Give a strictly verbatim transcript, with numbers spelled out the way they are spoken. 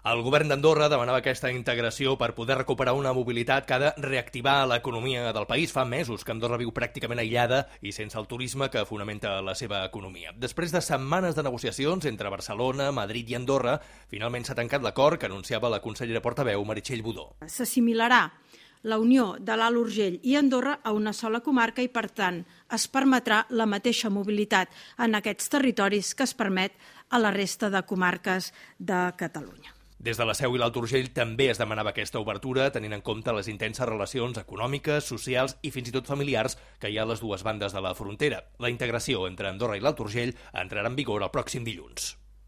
El govern d'Andorra demanava aquesta integració per poder recuperar una mobilitat que ha de reactivar l'economia del país. Fa mesos que Andorra viu pràcticament aïllada i sense el turisme que fonamenta la seva economia. Després de setmanes de negociacions entre Barcelona, Madrid i Andorra, finalment s'ha tancat l'acord que anunciava la consellera portaveu Meritxell Budó. S'assimilarà la unió de l'Alt Urgell i Andorra a una sola comarca i, per tant, es permetrà la mateixa mobilitat en aquests territoris que es permet a la resta de comarques de Catalunya. Des de la Seu i l'Alt Urgell també es demanava aquesta obertura, tenint en compte les intenses relacions econòmiques, socials i fins i tot familiars que hi ha a les dues bandes de la frontera. La integració entre Andorra i l'Alt Urgell entrarà en vigor el pròxim dilluns.